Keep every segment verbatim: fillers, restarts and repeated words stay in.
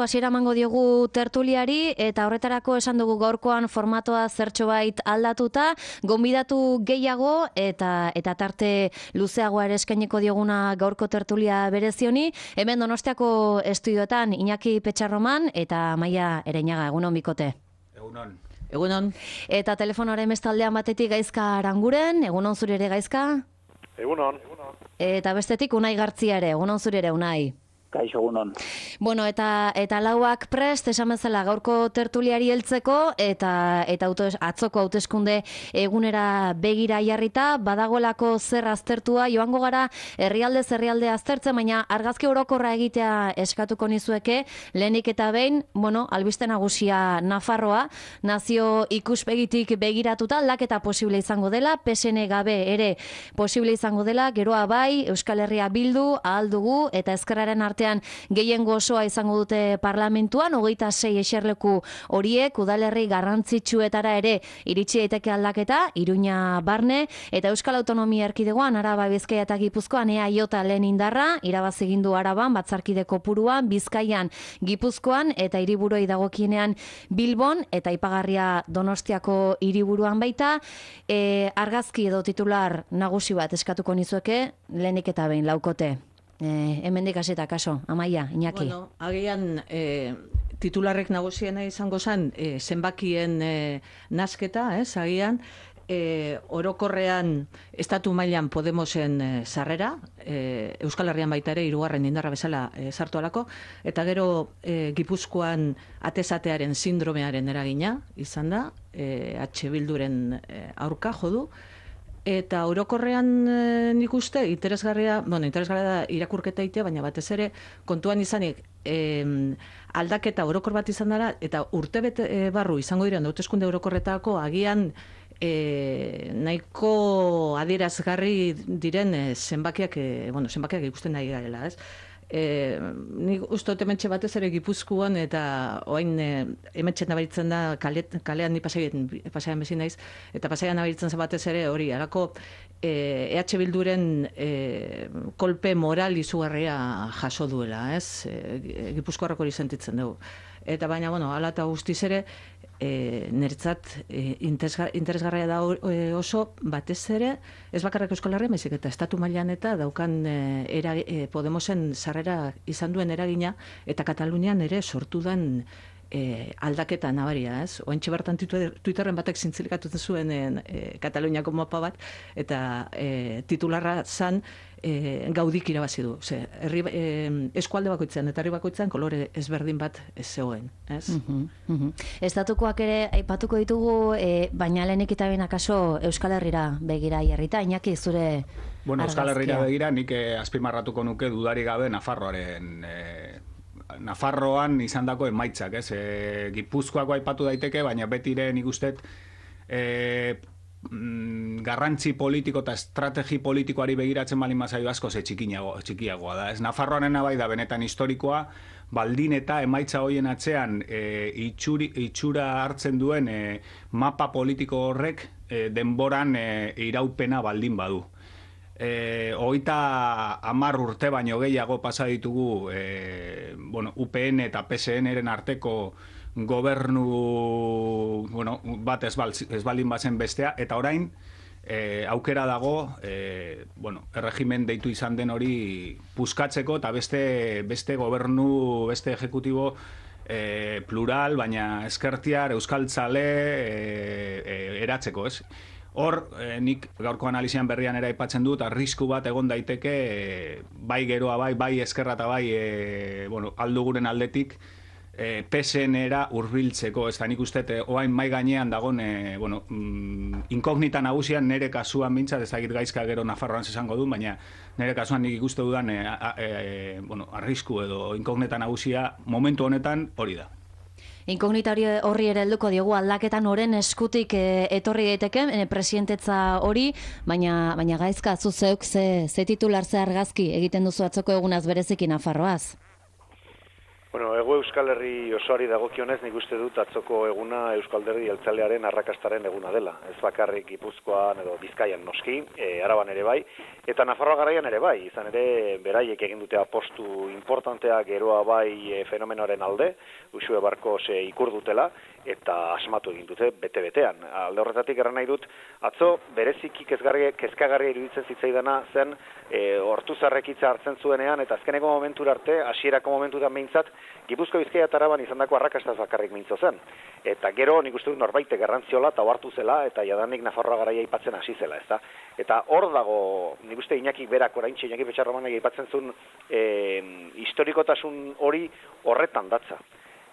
Hasiera emango diogu tertuliari eta horretarako esan dugu gaurkoan formatoa zertxobait aldatuta, gonbidatu gehiago eta eta tarte luzeagoa ere eskainiko dioguna gaurko tertulia berezioni. Hemen Donostiako estudioetan Iñaki Petxarroman eta Amaia Ereñaga. Egunon bikote. Egunon. Egunon. Eta telefonoaren bestaldean batetik Gaizka Aranguren. Egunon zure ere, Gaizka? Egunon. Eta bestetik Unai Gartzia ere. Egunon zure ere, Unai. Kaixo, egunon. Bueno, eta eta lauak prest, esan bezala gaurko tertuliari heltzeko eta eta auto, atzoko hauteskunde egunera begira jarrita, badagoelako zer aztertua, joango gara herrialde herrialde aztertzen, baina argazki orokorra egitea eskatuko nizueke, lehenik eta behin, bueno, albiste nagusia Nafarroa, nazio ikuspegitik begiratuta, aldaketa posible izango dela, P S N gabe ere posible izango dela, geroa bai, Euskal Herria bildu, ahal dugu, eta ezkerraren arte gehiengo osoa izango dute parlamentuan, hogeita sei eserleku horiek, udalerri garrantzitsuetara ere iritsi daiteke aldaketa, Iruña barne, eta Euskal Autonomia Erkidegoan, Araba, Bizkaia eta Gipuzkoan E A J lehen indarra, irabazi egin du Araban, batzarkide kopuruan, Bizkaian, Gipuzkoan, eta hiriburuei dagokienean Bilbon, eta aipagarria Donostiako hiriburuan baita, e, argazki edo titular nagusi bat eskatuko nizueke, lehenik eta behin, laukote. Eh, hemendik hasita kaso, Amaia, Iñaki. Bueno, agian eh, titularrek nagusiena izango zen eh, zenbakien eh, nasketa, ez, agian, eh, orokorrean estatu mailan Podemosen eh, sarrera, eh, Euskal Herrian baita ere hirugarren indarra bezala eh, sartu alako, eta gero eh, Gipuzkoan atezatearen sindromearen eragina izan da, eh, H Bilduren eh, aurka jodu, eta orokorrean e, nik uste interesgarria, bueno, interesgarria da irakurketa itea, baina batez ere kontuan izanik e, aldaketa orokor bat izan dara, eta urtebete e, barru izango diren hauteskunde orokorretako agian e, nahiko adierazgarri diren e, zenbakiak, e, bueno, zenbakiak ikusten nahi garela, ez? E, nik uste dut hementxe batez ere Gipuzkoan eta oain e, hementxe nabaritzen da kale, kalean ni pasaian, pasaian bezin naiz, eta pasaian nabaritzen zen batez ere hori, alako e, E H Bilduren e, kolpe moral izugarria jaso duela, ez? E, Gipuzkoarrak hori sentitzen dugu. Eta baina, bueno, ala eta guztiz ere, e, niretzat e, interesgarria da e, oso, batez ere, ez bakarrak Euskal Herria, baizik eta estatu mailan eta daukan e, era, e, Podemosen sarrera izan duen eragina, eta Katalunian ere sortu den e, aldaketa nabaria, ez? Oentxe bertan Twitterren batek zintzilikatu zuen e, Kataluniako mapa bat, eta e, titularra zan E, gaudik irabazi du. Ze, herri, e, eskualde bakoitzean eta herri bakoitzean kolore ezberdin bat ez zegoen. Ez? Uh-huh, uh-huh. Estatukoak ere aipatuko ditugu, e, baina lehenik eta behin akaso Euskal Herrira begira jarrita. Iñaki, zure bueno, argazkia. Euskal Herrira begira nik eh, azpimarratuko nuke dudari gabe Nafarroaren eh, Nafarroan izandako emaitzak, ez? E, Gipuzkoako aipatu daiteke, baina betire nik ustet eh, garrantzi politiko eta estrategi politikoari begiratzen baldin bazaio asko ze txikiagoa, txikiagoa da. Ez Nafarroarena bai da benetan historikoa, baldin eta emaitza hoien atzean e, itxuri, itxura hartzen duen e, mapa politiko horrek e, denboran e, iraupena baldin badu. E, hogeita hamar urte baino gehiago pasa ditugu e, bueno, U P N eta P S N-eren arteko gobernu bueno, bat ez, bal, ez baldin bazen bestea, eta orain e, aukera dago e, bueno, erregimen deitu izan den hori puskatzeko eta beste, beste gobernu, beste ejecutibo e, plural, baina ezkertiar, euskaltzale e, e, eratzeko, ez? Hor, eh, nik gaurko analizian berrian ere aipatzen dut, arrisku bat egon daiteke, eh, bai geroa, bai, bai eskerra eta bai, eh, bueno, alduguren aldetik, eh, P S N-era hurbiltzeko, ez da nik uste, eh, oain mai gainean dagon, eh, bueno, mm, inkognita nagusian nere kasuan bintzat, ez da Gaizka gero Nafarroan esango du, baina nere kasuan nik ikuste dudan, eh, eh, bueno, arrisku edo inkognita nagusia momentu honetan hori da. Inkognita horri ere helduko diogu aldaketan oren eskutik e, etorri daiteke e, presidentetza hori, baina baina Gaizka zu zeuk ze, ze titular ze argazki egiten duzu atzoko egunaz bereziki Nafarroaz. Bueno, Hego Euskal Herri osoari dagokionez, nik uste dut atzoko eguna Euskal Alderdi Jeltzalearen arrakastaren eguna dela. Ez bakarrik Gipuzkoan edo Bizkaian noski, e, Araban ere bai, eta Nafarroa garaian ere bai. Izan ere, beraiek egin dute apostu importantea geroa bai e, fenomenoaren alde, Uxue Barkos e, ikur dutela, eta asmatu egin dute bete-betean. Alde horretatik erran nahi dut, atzo bereziki kezkagarria iruditzen zitzaidana zen e, Ortuzarrek hitza hartzen zuenean, eta azkeneko momentura arte, hasierako momentutan behintzat, Gipuzko Bizkaia eta Araban izandako arrakastaz bakarrik mintzo zen. Eta gero nik uste dut norbaitek garrantziola eta ohartu zela eta jadanik Nafarroa garaia aipatzen hasi zela, ezta? Eta hor dago, nik uste Iñaki berak oraintxe Iñaki Petxarromanek aipatzen zuen e, historikotasun hori horretan datza.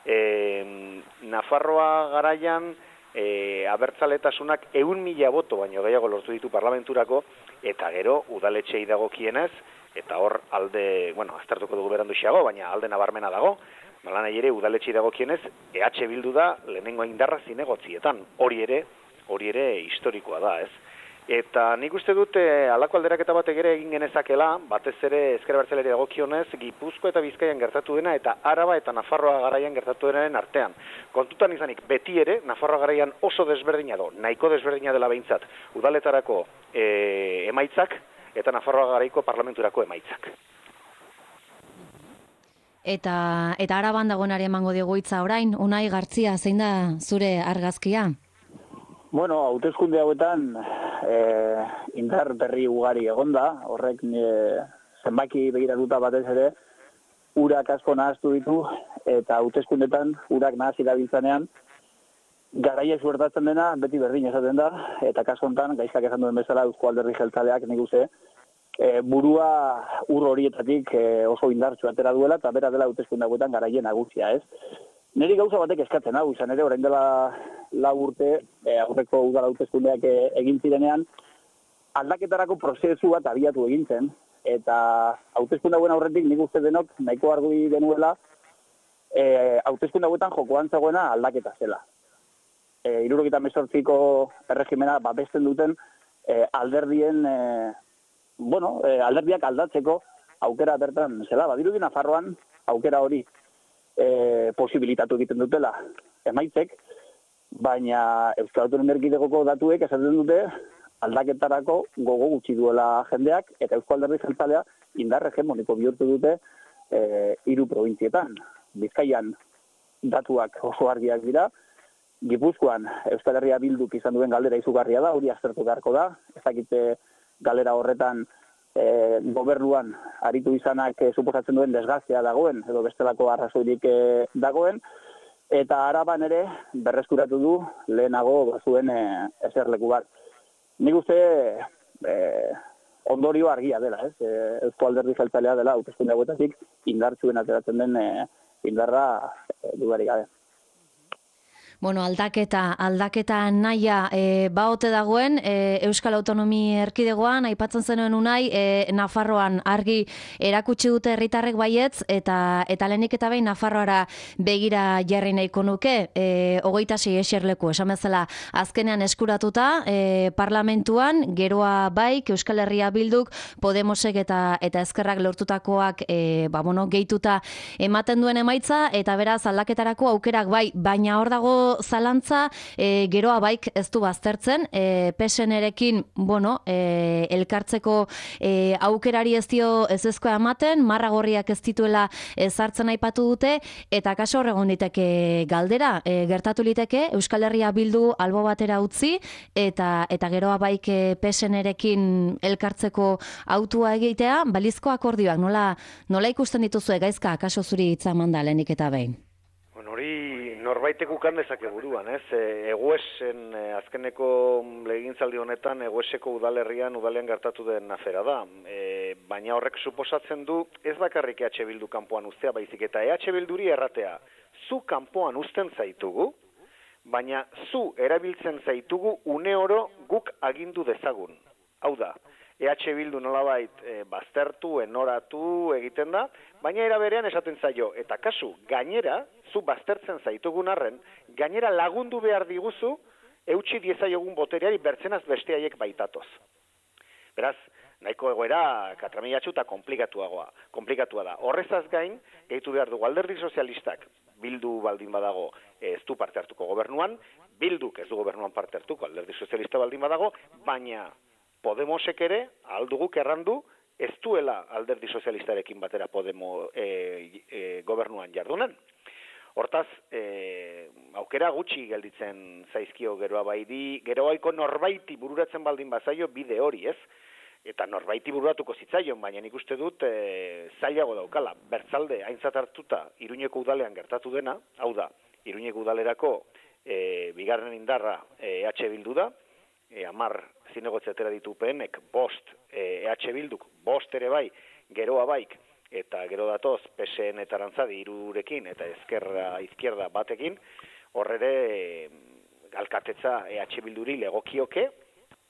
E, Nafarroa garaian e, abertzaletasunak ehun mila boto baino gehiago lortu ditu parlamenturako, eta gero udaletxei dagokienez, eta hor alde, bueno, aztertuko dugu berandu xago, baina alde nabarmena dago, malan ere udaletxei dagokienez, E H Bildu da lehenengo indarra zinegotzietan, hori ere, hori ere historikoa da, ez? Eta nik uste dut halako alderaketa batek ere egin genezakela, batez ere ezker abertzaleari dagokionez, Gipuzko eta Bizkaian gertatu dena eta Araba eta Nafarroa garaian gertatu denaren artean. Kontutan izanik beti ere Nafarroa garaian oso desberdina do, nahiko desberdina dela behintzat, udaletarako e, emaitzak eta Nafarroa garaiko parlamenturako emaitzak. Eta eta Araban dagoenari emango diogu hitza orain, Unai Gartzia, zein da zure argazkia? Bueno, hauteskunde hauetan eh, indar berri ugari egonda, horrek eh, zenbaki begiratuta batez ere, urak asko nahaztu ditu, eta hauteskundetan urak nahaz irabiltzanean, garaia suertatzen dena, beti berdin esaten da, eta kasu honetan, gaizkak esan duen bezala, Eusko Alderdi Jeltzaleak nik uste, e, burua ur horietatik e, oso indartsu atera duela, eta bera dela hauteskunde hauetan garaien nagusia, ez? Neri gauza batek eskatzen hau, izan ere, orain dela lau urte, e, aurreko udal hauteskundeak e, egin zirenean, aldaketarako prozesu bat abiatu egin zen, eta hauteskunde hauen aurretik nik uste denok nahiko argi genuela, e, hauteskunde hauetan jokoan zegoena aldaketa zela. E, Hirurogeita hemezortziko erregimena babesten duten e, alderdien, e, bueno, e, alderdiak aldatzeko aukera bertan zela. Badirudi Nafarroan aukera hori e, posibilitatu egiten dutela emaitzek, baina Euskal Autonomia Erkidegoko datuek esaten dute aldaketarako gogo gutxi duela jendeak, eta Eusko Alderdi Jeltzalea indar hegemoniko bihurtu dute e, hiru probintzietan. Bizkaian datuak oso argiak dira, Gipuzkoan Euskal Herria Bilduk izan duen galdera izugarria da, hori aztertu beharko da, ez dakite galera horretan e, gobernuan aritu izanak e, suposatzen duen desgaztea dagoen, edo bestelako arrazoirik e, dagoen, eta Araban ere berreskuratu du lehenago bazuen e, eserleku bat. Nik uste e, ondorio argia dela, ez? E, Eusko Alderdi Jeltzalea dela, hauteskunde hauetatik indartsuen ateratzen den e, indarra e, dudarik gabe. Bueno, aldaketa, aldaketa naia e, baote dagoen e, Euskal Autonomia Erkidegoan, aipatzen zenuen Unai, e, Nafarroan argi erakutsi dute herritarrek baietz, eta eta lehenik eta behin Nafarroara begira jarri nahiko nuke, e, hogeita sei eserleku, esan bezala azkenean eskuratuta, e, parlamentuan, geroa baik, Euskal Herria Bilduk, Podemosek eta eta Ezkerrak lortutakoak e, ba, bueno, gehituta ematen duen emaitza, eta beraz aldaketarako aukerak bai, baina hor dago zalantza, e, geroa baik ez du baztertzen, e, P S N-erekin, bueno, e, elkartzeko e, aukerari ez dio ez ezkoa ematen, marra gorriak ez dituela ezartzen aipatu dute, eta kaso horregon diteke galdera, e, gertatu liteke Euskal Herria Bildu albo batera utzi, eta eta geroa baik e, P S N-erekin elkartzeko autua egitea, balizko akordioak, nola, nola ikusten dituzue gaizka, kaso zuri hitza manda lehenik eta behin? Hori norbaitek ukan dezake buruan, ez? E, Eguesen, e, azkeneko legintzaldi honetan, Egueseko udalerrian, udalean gertatu den afera da. E, baina horrek suposatzen du, ez bakarrik E H Bildu kanpoan uztea baizik, eta E H Bilduri erratea, zu kanpoan uzten zaitugu, baina zu erabiltzen zaitugu une oro guk agindu dezagun. Hau da, E H Bildu nolabait e, baztertu, enoratu egiten da, baina era berean esaten zaio, eta kasu, gainera, zu baztertzen zaitugun arren, gainera lagundu behar diguzu, eutxi diezaiogun botereari bertzenaz beste haiek baitatoz. Beraz, nahiko egoera katramilatxu eta komplikatuagoa, komplikatua da. Horrezaz gain, gehitu behar dugu alderdi sozialistak, Bildu baldin badago ez du parte hartuko gobernuan, Bilduk ez du gobernuan parte hartuko, alderdi sozialista baldin badago, baina Podemosek ere, alduguk errandu, ez duela alderdi sozialistarekin batera Podemo e, e, gobernuan jardunan. Hortaz, e, aukera gutxi gelditzen zaizkio geroa baidi, geroaiko norbaiti bururatzen baldin bazaio bide hori, ez? Eta norbaiti bururatuko zitzaion, baina nik uste dut e, zailago daukala. Bertzalde, aintzat hartuta, Iruñeko udalean gertatu dena, hau da, Iruñeko udalerako e, bigarren indarra e, EH Bildu da, e, amar zinegotzetera ditu U P Nek, bost e, EH Bilduk, bost ere bai, geroa baik, eta gero datoz P S N eta Arantzadi irurekin, eta ezkerra izquierda batekin, horrere e, alkatetza EH Bilduri legokioke,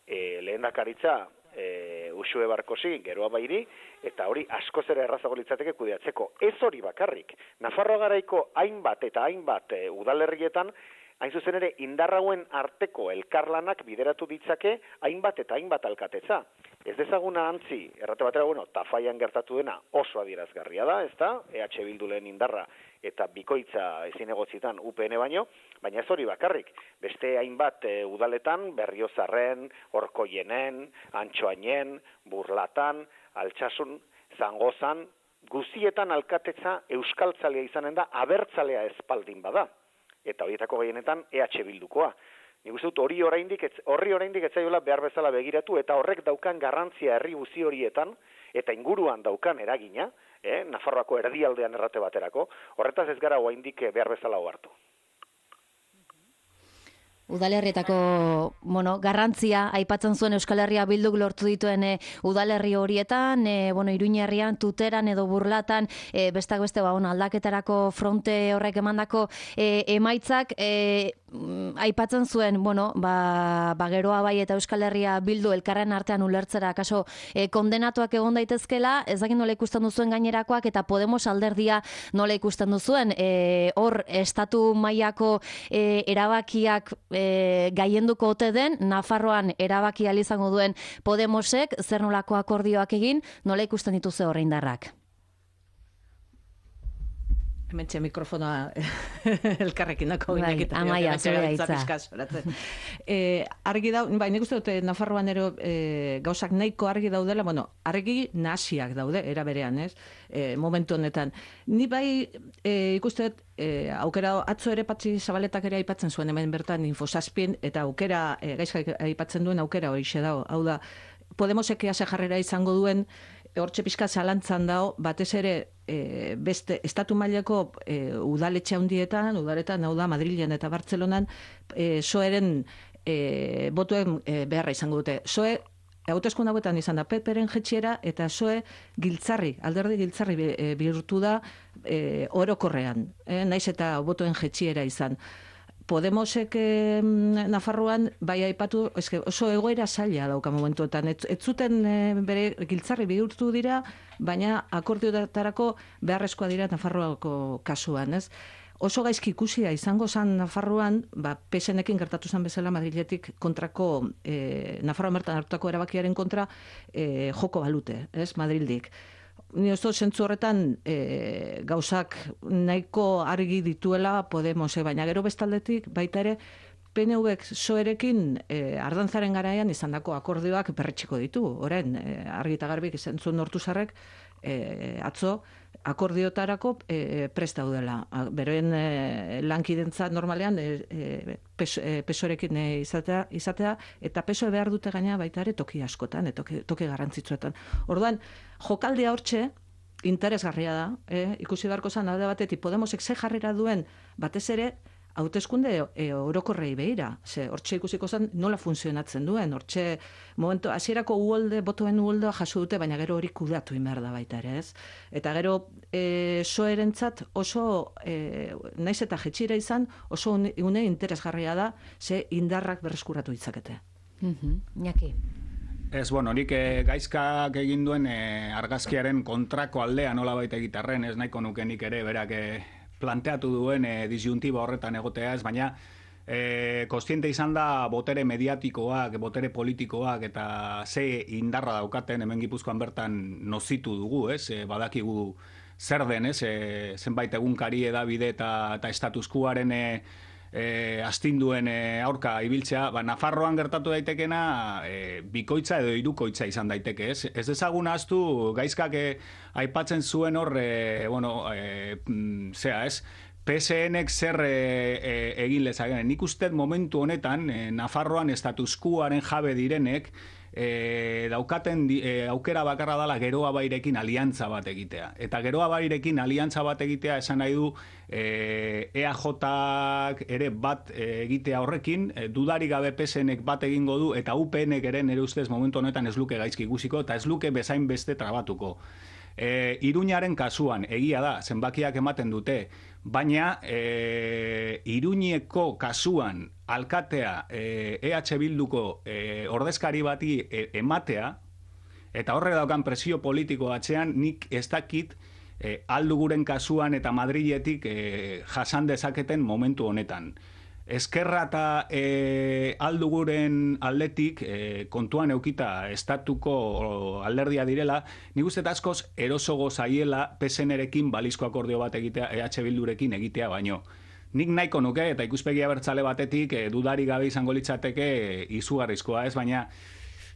e, lehendakaritza e, Uxue Barkosi, geroa bairi, eta hori askoz ere errazago litzateke kudeatzeko. Ez hori bakarrik. Nafarroa garaiko hainbat eta hainbat e, udalerrietan, hain zuzen ere indarrauen arteko elkarlanak bideratu ditzake hainbat eta hainbat alkatetza. Ez dezaguna antzi, errate batera, bueno, Tafaian gertatu dena oso adierazgarria da, ez da, EH Bildu lehen indarra eta bikoitza ezin egotzitan U P N baino, baina ez hori bakarrik. Beste hainbat e, udaletan, Berriozarren, Orkoienen, Antxoainen, Burlatan, Altsasun, Zangozan, guzietan alkatetza euskaltzalea izanen da, abertzalea espaldin bada. Eta horietako gehienetan EH Bildukoa. Nik uste dut hori oraindik horri oraindik ez zaiola behar bezala begiratu eta horrek daukan garrantzia herri guzi horietan eta inguruan daukan eragina, eh, Nafarroako erdialdean errate baterako, horretaz ez gara oraindik behar bezala ohartu. Udalerrietako, bueno, garrantzia aipatzen zuen Euskal Herria Bilduk lortu dituen e, udalerri horietan, e, bueno, Iruñerrian, Tuteran edo Burlatan, e, bestak beste ba, bueno, aldaketarako fronte horrek emandako e, emaitzak, e, aipatzen zuen, bueno, ba, ba geroa bai eta Euskal Herria Bildu elkarren artean ulertzera kaso e, kondenatuak egon daitezkela, ez dakit nola ikusten duzuen gainerakoak eta Podemos alderdia nola ikusten duzuen, e, hor estatu mailako e, erabakiak E, gaienduko ote den, Nafarroan erabaki ahal izango duen Podemosek, zer nolako akordioak egin, nola ikusten dituze horre indarrak? Hementxe mikrofonoa elkarrekin dako bai, Amaia, zure hitza. eh, argi da, bai, nik uste dute Nafarroan ero eh, gauzak nahiko argi daudela, bueno, argi nasiak daude, era berean, ez? Eh, momentu honetan. Ni bai eh, ikuste dut, eh, aukera atzo ere Patxi Zabaletak ere aipatzen zuen hemen bertan Infosazpien, eta aukera, eh, gaizka aipatzen duen aukera horixe dago. Hau da, Podemosek ase jarrera izango duen, hortxe pixka zalantzan dago, batez ere e, beste estatu mailako e, udaletxe handietan, udaletan, hau da, Madrilen eta Bartzelonan, e, soeren e, botuen e, beharra izango dute. Soe, hauteskunde hauetan izan da P Pren jetxiera, eta soe giltzarri, alderdi giltzarri e, bihurtu da e, orokorrean, e, naiz eta botuen jetxiera izan. Podemosek eh, Nafarroan bai aipatu, eske oso egoera zaila dauka momentuetan. Ez, ez zuten eh, bere giltzarri bihurtu dira, baina akordiotarako beharrezkoa dira Nafarroako kasuan, ez? Oso gaizki ikusia izango zan Nafarroan, ba, P S Nekin gertatu zen bezala Madriletik kontrako, eh, Nafarroan bertan hartutako erabakiaren kontra eh, joko balute, ez, Madrildik. Ni oso zentzu horretan e, gauzak nahiko argi dituela Podemose, baina gero bestaldetik baita ere P N Vek soerekin e, ardantzaren garaian izandako akordioak berretxiko ditu. Orain, e, argi eta garbik zentzun Ortuzarrek e, atzo akordiotarako e, prest daudela. Beroen e, lankidentza normalean e, e, peso, e, pesorekin e, izatea, izatea, eta peso behar dute gaina baita ere toki askotan, e, toki, toki garrantzitsuetan. Orduan, jokaldia hortxe, interesgarria da, e, ikusi beharko zan, alde batetik, Podemosek ze jarrera duen, batez ere, hauteskunde e, orokorrei behira. Ze, hortxe ikusiko zen nola funtzionatzen duen. Hortxe, momentu, hasierako uholde, botoen uholdoa jaso dute, baina gero hori kudeatu inber da baita ere, ez? Eta gero, e, soerentzat oso, e, naiz eta jetxira izan, oso une interesgarria da, ze indarrak berreskuratu ditzakete. Mm-hmm. Iñaki. Ez, bueno, nik e, gaizkak egin duen e, argazkiaren kontrako aldea nola baita gitarren, ez nahiko nuke nik ere, berak e, planteatu duen e, disjuntiba horretan egotea ez, baina e, kostiente izan da botere mediatikoak, botere politikoak eta ze indarra daukaten hemen Gipuzkoan bertan nozitu dugu, ez? E, badakigu zer den, ez? E, zenbait egunkari edabide eta, eta status quoaren e, e, astinduen e, aurka ibiltzea, ba, Nafarroan gertatu daitekena e, bikoitza edo hirukoitza izan daiteke, ez? Ez dezagun ahaztu gaizkak e, aipatzen zuen hor, e, bueno, e, zea, ez? P S N-ek zer e, e, egin lezaken. Nik uste momentu honetan, e, Nafarroan status quoaren jabe direnek, e, daukaten di, e, aukera bakarra dela Geroa Bairekin aliantza bat egitea. Eta Geroa Bairekin aliantza bat egitea esan nahi du e, E A J-ak ere bat e, egitea horrekin, e, dudarik gabe P S N-ek bat egingo du, eta U P N-ek ere nire ustez momentu honetan ez luke gaizki ikusiko, eta ez luke bezain beste trabatuko. E, Iruñaren kasuan, egia da, zenbakiak ematen dute, baina e, Iruñeko kasuan alkatea e, E H Bilduko e, ordezkari bati e, ematea, eta horrek daukan presio politiko atzean, nik ez dakit e, alduguren kasuan eta Madriletik e, jasan dezaketen momentu honetan. Ezkerra eta e, alduguren aldetik e, kontuan eukita estatuko alderdia direla, nik uste askoz erosogo zaiela P S N-erekin balizko akordio bat egitea, E H Bildurekin egitea baino. Nik nahiko nuke, eta ikuspegi abertzale batetik e, dudari gabe izango litzateke e, izugarrizkoa ez, baina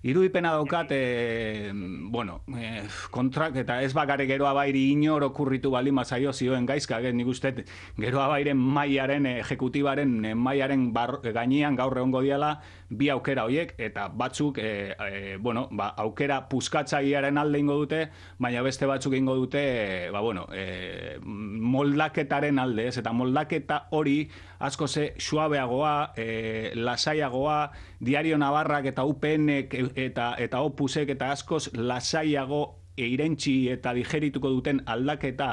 irudipena daukat, e, bueno, e, kontrak, eta ez bakare Geroa Bairi inor okurritu bali mazaio zioen gaizka, nik uste Geroa Bairen mailaren, ejekutibaren mailaren bar, gainean gaur egongo diala bi aukera hoiek, eta batzuk, e, e, bueno, ba, aukera puskatzailearen alde ingo dute, baina beste batzuk ingo dute, e, ba, bueno, e, moldaketaren alde, ez, eta moldaketa hori asko ze suabeagoa, e, lasaiagoa, Diario Navarrak eta U P N-ek eta, eta Opusek eta askoz lasaiago eirentzi eta digerituko duten aldaketa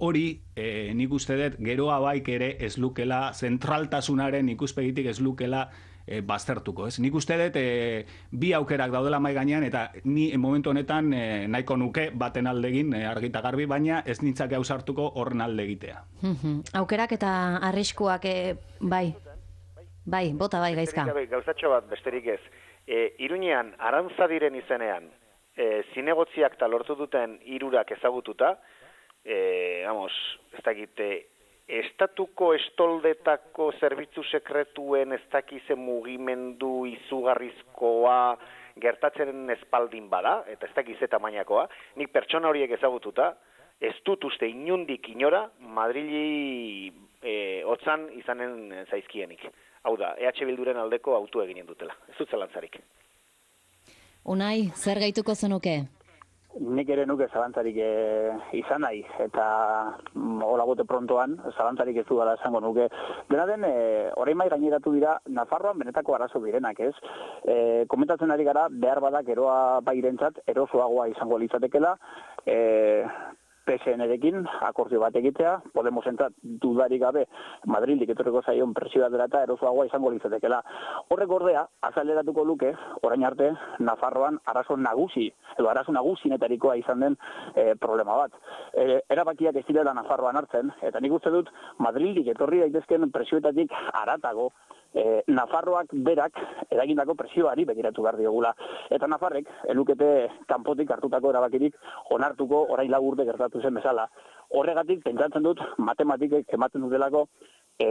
hori, e, nik uste dut Geroa Baik ere ez lukela, zentraltasunaren ikuspegitik ez lukela e, baztertuko, ez? Nik uste dut e, bi aukerak daudela mai gainean, eta ni momentu honetan e, nahiko nuke baten aldegin e, argita garbi, baina ez nintzake ausartuko horren alde egitea. Aukerak eta arriskuak, e, bai, bai, bota bai gaizka. Gauzatxo bat, besterik ez. E, Iruñean, Arantzadiren izenean, e, zinegotziak eta lortu duten hirurak ezagututa, e, vamos, ez dakite, estatuko estoldetako zerbitzu sekretuen ez dakize mugimendu izugarrizkoa gertatzen espaldin bada, eta ez dakize tamainakoa, nik pertsona horiek ezagututa, ez dut uste inundik inora Madrili e, otzan izanen zaizkienik. Hau da, E H Bilduren aldeko autu eginen dutela. Ez dut zalantzarik. Unai, zer gehituko zenuke? Nik ere nuke zalantzarik e, izan nahi, eta mm, hola bote prontoan, zalantzarik ez du dela esango nuke. Dena den, e, orain mai gaineratu dira, Nafarroan benetako arazo direnak, ez? E, komentatzen ari gara, behar badak Geroa Bairentzat erosoagoa izango litzatekela, e, P S N-erekin akordio bat egitea, Podemosentzat dudarik gabe Madrildik etorriko zaion presioa dela eta erosoagoa izango litzatekela. Horrek ordea, azaleratuko luke, orain arte, Nafarroan arazo nagusi, edo arazo nagusinetarikoa izan den e, problema bat. E, erabakiak ez direla Nafarroan hartzen, eta nik uste dut Madrildik etorri daitezken presioetatik haratago, E, Nafarroak berak eragindako presioari begiratu behar diogula. Eta Nafarrek, elukete kanpotik hartutako erabakirik onartuko orain lau urte gertatu zen bezala. Horregatik, pentsatzen dut, matematikek ematen dutelako, e,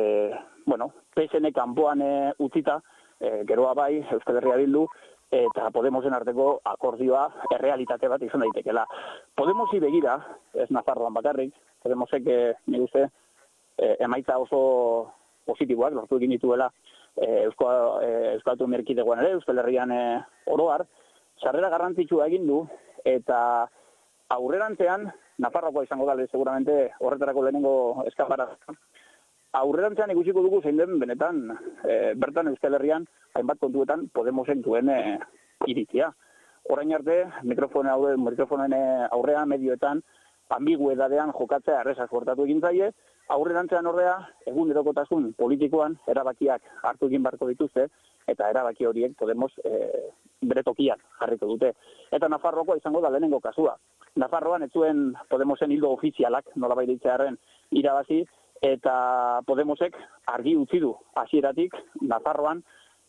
bueno, P S N kanpoan e, utzita, e, Geroa Bai, Euskal Herria Bildu, eta Podemosen arteko akordioa errealitate bat izan daitekela. Podemosi begira, ez Nafarroan bakarrik, Podemosek, e, nik uste, e, emaitza oso positiboak lortu egin dituela e, Euskal e, Autonomia Erkidegoan ere, Euskal Herrian e, oroar, sarrera garrantzitsua egin du, eta aurrerantzean, Nafarroakoa izango da, seguramente horretarako lehenengo eskapara. Aurrerantzean ikusiko dugu zein den benetan, e, bertan Euskal Herrian, hainbat kontuetan Podemosen duen e, iritzia. Orain arte, mikrofonen aurre, mikrofonen aurrean, medioetan, ambiguedadean jokatzea errezaz portatu egin zaie, aurrerantzean ordea, egunerokotasun politikoan erabakiak hartu egin beharko dituzte, eta erabaki horiek Podemos e, bere tokian jarriko dute. Eta Nafarroakoa izango da lehenengo kasua. Nafarroan ez zuen Podemosen hildo ofizialak, nolabait ditzearren irabazi, eta Podemosek argi utzi du hasieratik Nafarroan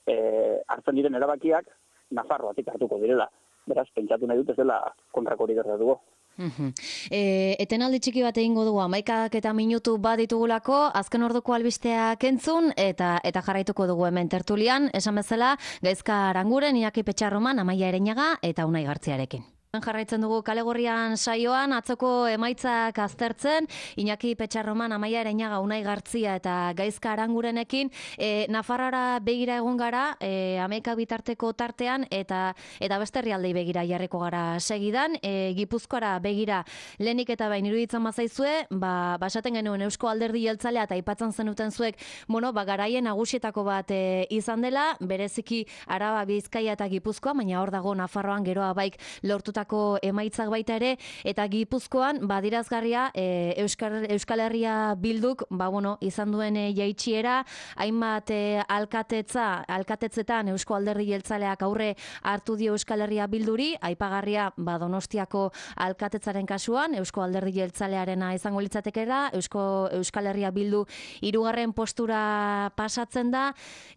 e, hartzen diren erabakiak Nafarroatik hartuko direla. Beraz, pentsatu nahi dut ez dela kontrakorik gertatuko. Uh-huh. E, etenaldi txiki bat egingo dugu, hamaikak eta minutu bat ditugulako, azken orduko albisteak entzun, eta eta jarraituko dugu hemen tertulian, esan bezala, Gaizka Aranguren, Iñaki Petxarroman, Amaia Ereñaga eta Unai Gartziarekin. Jarraitzen dugu Kale Gorrian saioan, atzoko emaitzak aztertzen, Iñaki Petxarroman, Amaia Ereñaga, Unai Gartzia eta Gaizka Arangurenekin, e, Nafarroara begira egon gara, e, hamaika bitarteko tartean, eta eta beste herrialdei begira jarriko gara segidan, e, Gipuzkoara begira lehenik eta bain iruditzen bazaizue, ba, basaten genuen Eusko Alderdi Jeltzalea eta aipatzen zenuten zuek, bueno, ba, garaien nagusietako bat e, izan dela, bereziki Araba, Bizkaia eta Gipuzkoa, baina hor dago Nafarroan geroa baik lortuta emaitzak baita ere, eta Gipuzkoan badirazgarria e, Euskal, Euskal Herria Bilduk ba, bueno, izan duen e, jaitsiera, hainbat e, alkatetza, alkatetzetan Eusko Alderdi Jeltzaleak aurre hartu dio Euskal Herria Bilduri, aipagarria ba, Donostiako alkatetzaren kasuan, Eusko Alderdi Jeltzalearena izango litzatekera, Eusko Euskal Herria Bildu hirugarren postura pasatzen da,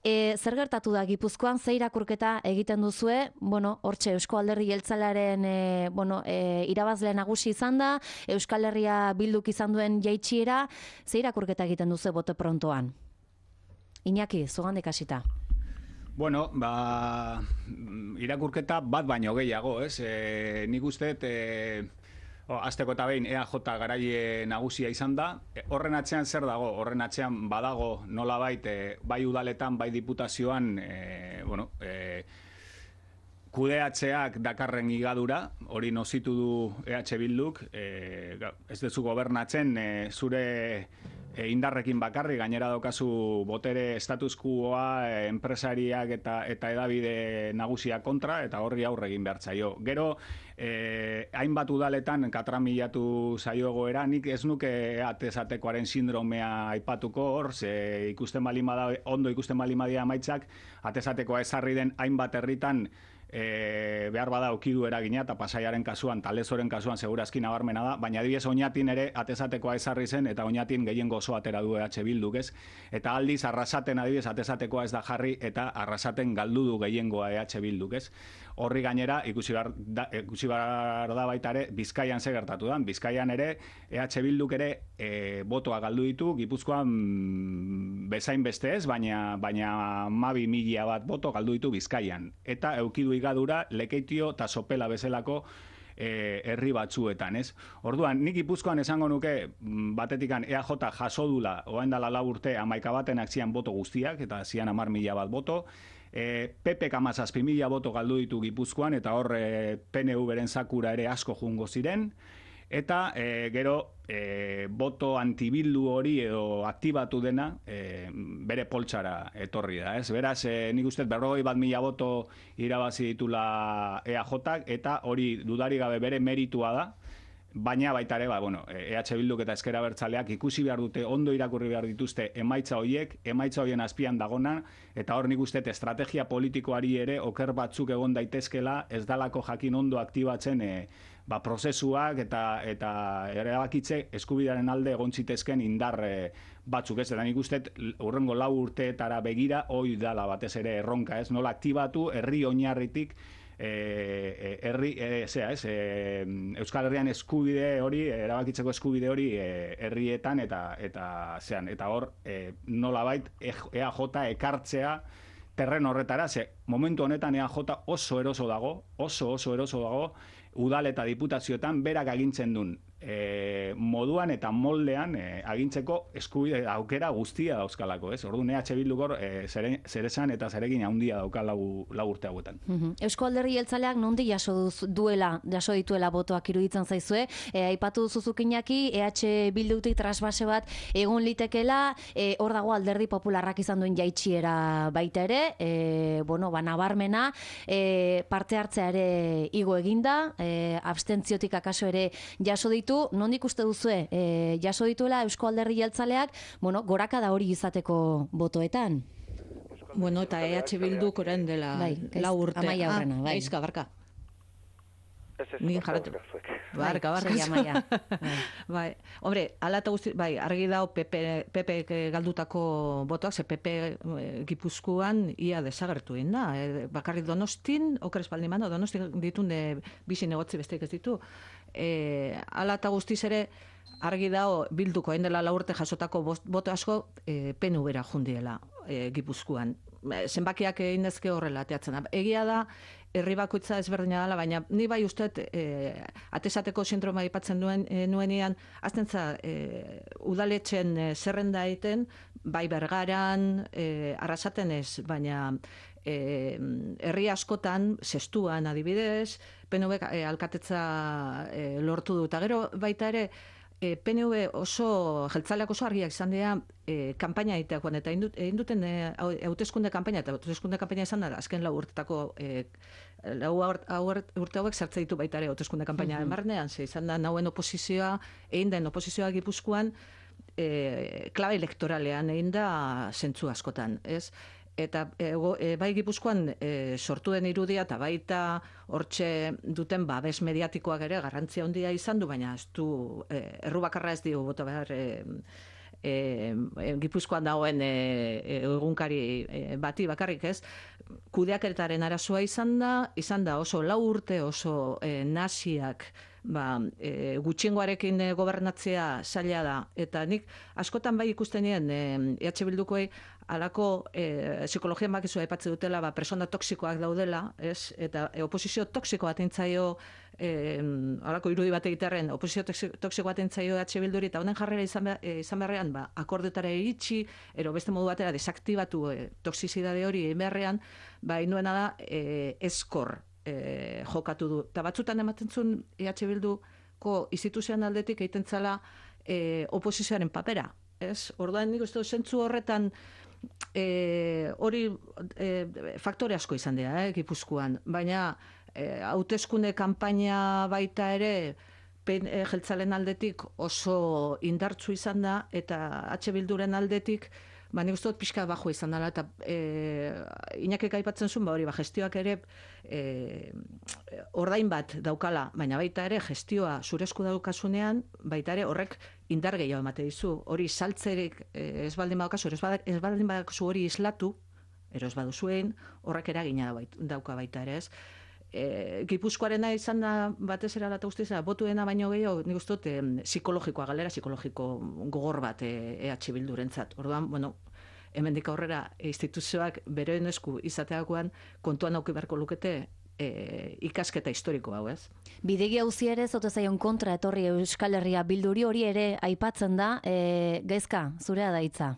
e, zer gertatu da Gipuzkoan, ze irakurketa egiten duzue, bueno, hortxe Eusko Alderdi Jeltzalearen E, bueno, e, irabazle nagusi izan da, Euskal Herria Bilduk izan duen jaitsiera, ze irakurketa egiten duzu bote prontoan? Iñaki, zugandik hasita. Bueno, ba, irakurketa bat baino gehiago, ez? E, nik uste, e, oh, azteko eta behin E A J garaie nagusia izan da. E, horren atzean zer dago? Horren atzean badago nolabait, e, bai udaletan, bai diputazioan, e, bueno, e, kudeatzeak dakarren higadura, hori nozitu du E H Bilduk, e, ez dezu gobernatzen e, zure e, indarrekin bakarri, gainera daukazu botere status quoa, e, enpresariak eta eta edabide nagusia kontra, eta horri aurre egin behar zaio. Gero, e, hainbat udaletan katramilatu zaio egoera, nik ez nuke atezatekoaren sindromea aipatuko hor, ze ikusten balimada, ondo ikusten balimadia maitzak, atezatekoa ezarri den hainbat herritan, E, behar bada okidu eragina eta Pasaiaren kasuan, Talezoren kasuan segurazki nabarmena da, baina adibidez Oñatin ere atezatekoa ezarri zen eta Oñatin gehien gozo atera du E H Bilduk, ez? Eta aldiz Arrasaten adibidez atezatekoa ez da jarri eta Arrasaten galdu du gehiengoa E H Bilduk, ez? Horri gainera ikusi behar da, ikusi behar da baita ere Bizkaian ze gertatu da. Bizkaian ere E H Bilduk ere e, botoa galdu ditu, Gipuzkoan bezain beste ez, baina baina mabi mila bat boto galdu ditu Bizkaian. Eta eukidu gadura Lekeitio eta Sopela bezalako e, herri batzuetan, ez? Orduan, nik Gipuzkoan esango nuke batetikan E A J jaso dula, orain dela lau urte hamaika batenak zian boto guztiak, eta zian hamar mila bat boto, e, P Pek hamazazpi mila boto galdu ditu Gipuzkoan, eta hor e, P N V beren zakura ere asko jungo ziren, eta e, gero e, boto antibildu hori edo aktibatu dena e, bere poltsara etorri da, ez? Beraz, e, nik uste berrogei bat mila boto irabazi ditula E A Jak, eta hori dudari gabe bere meritua da, baina baita ere, ba, bueno, E H Bilduk eta Ezker Abertzaleak ikusi behar dute, ondo irakurri behar dituzte emaitza horiek, emaitza horien azpian dagona, eta hor nik uste estrategia politikoari ere oker batzuk egon daitezkela, ez dalako jakin ondo aktibatzen e, ba, prozesuak eta eta erabakitze eskubidearen alde egon zitezken indar e, batzuk, ez? Eta nik uste hurrengo lau urteetara begira hoi dala batez ere erronka, ez? Nola aktibatu herri oinarritik E, herri, e, zera, ez, e, Euskal Herrian eskubide hori, erabakitzeko eskubide hori e, herrietan eta eta zean, eta hor e, nolabait E A J ekartzea terren horretara, ze momentu honetan E A J oso eroso dago, oso oso eroso dago, udal eta diputazioetan berak agintzen duen e, moduan eta moldean e, agintzeko eskubide aukera guztia dauzkalako, ez? Orduan E H Bilduk hor e, zeresan eta zeregin handia dauka lau, lau urte hauetan. Mm-hmm. Eusko Alderdi Jeltzaleak nondi jaso duz, duela, jaso dituela botoak iruditzen zaizue, e, aipatu duzuzuk Iñaki, E H Bildutik trasbase bat egon litekela, e, hor dago Alderdi Popularrak izan duen jaitsiera baita ere, e, bueno, ba, nabarmena, e, parte hartzea ere igo eginda, e, abstentziotik akaso ere jaso ditu, nondik uste duzue, e, jaso dituela Eusko Alderdi Jeltzaleak, bueno, gorakada hori izateko botoetan? Bueno, eta E H Bilduk orain dela bai, lau urte. Amaia horrena, bai. Gaizka, barka. Ez ez, Ni barka, jarratu. barka, zuek. Barka, barka. Sei amaia. Bai, hombre, ala eta guzti, bai, argi dago Pepe, Pepe galdutako botoak, ze Pepe e, Gipuzkoan ia desagertu egin da. E, bakarrik Donostin, oker espaldi mano, Donostin ditun de bizi negotzi besteik ez ditu. E, ala eta guztiz ere, argi dago bilduko hain dela lau urte jasotako boto asko e, P N V-ra jundiela e, Gipuzkoan. Zenbakiak egin dezke horrela ateatzen da. Egia da, herri bakoitza ezberdina dela, baina ni bai usteet e, atesateko sindroma aipatzen duen e, nuenean, azten za, e, udaletxen e, zerrenda egiten, bai Bergaran, e, Arrasaten ez, baina e, herri askotan, zestuan adibidez, P N V e, alkatetza e, lortu du, eta gero baita ere, E, P N V oso, jeltzaleak oso argiak izan dira e, kanpaina egiteakoan, eta egin duten e, hauteskunde kanpaina, eta hauteskunde kanpaina izan da, azken lau urtetako, e, lau urte hauek sartze ditu baita ere hauteskunde kanpaina mm-hmm. barnean, ze izan da nauen oposizioa, egin den oposizioa Gipuzkoan, e, klabe elektoralean egin da zentzu askotan, ez? Eta e, e, bai Gipuzkoan e, sortu den irudia eta baita hortxe duten babes mediatikoak ere garrantzia handia izan du, baina ez du e, erru bakarra ez dio bota behar e, e, e, Gipuzkoan dagoen e, e, egunkari e, bati bakarrik ez. Kudeakeretaren arazoa izan da, izan da oso lau urte, oso e, naziak ba, e, gutxiengoarekin e, gobernatzea zaila da. Eta nik askotan bai ikusten nien e, E H Bildukoei alako e, psikologian bakizu aipatzen dutela, ba, persona toksikoak daudela, ez? Eta e, oposizio toksiko bat entzaio, e, alako irudi bat egitearen, oposizio toksiko bat entzaio E H Bilduri, eta honen jarrera izan, behar, e, izan beharrean, ba, akordetara iritsi, ero beste modu batera desaktibatu e, toksizidade hori egin beharrean, ba, inuena da e, eskor e, jokatu du. Eta batzutan ematen zuen E H Bilduko instituzioan aldetik egiten zala e, oposizioaren papera. Ez? Orduan nik uste zentzu horretan e, hori e, faktore asko izan dira, eh, Gipuzkoan. Baina hauteskunde e, kanpaina baita ere pen, e, jeltzalen aldetik oso indartsu izan da, eta H Bilduren aldetik ba, nik uste dut pixka bajo izan dela, eta e, Iñakek aipatzen zuen, ba, hori, ba, gestioak ere e, ordain bat daukala, baina baita ere gestioa zuresku daukasunean, baita ere horrek indar gehiago emate dizu, hori saltzerik e, ez baldin badaukazu, ez baldin badaukazu hori islatu, ero ez baduzuen, horrek eragina dauka baita ere ez. E, Gipuzkoarena izan da batez era lata guztiz, botuena baino gehiago, nik uste dut, e, psikologikoa, galera psikologiko gogor bat E H Bildurentzat. Orduan, bueno, hemendik aurrera instituzioak beren esku izateakoan kontuan auki beharko lukete e, ikasketa historiko hau, ez? Bidegi hauzi ere zote zaion kontra etorri Euskal Herria Bilduri, hori ere aipatzen da, e, Gaizka, zurea da hitza.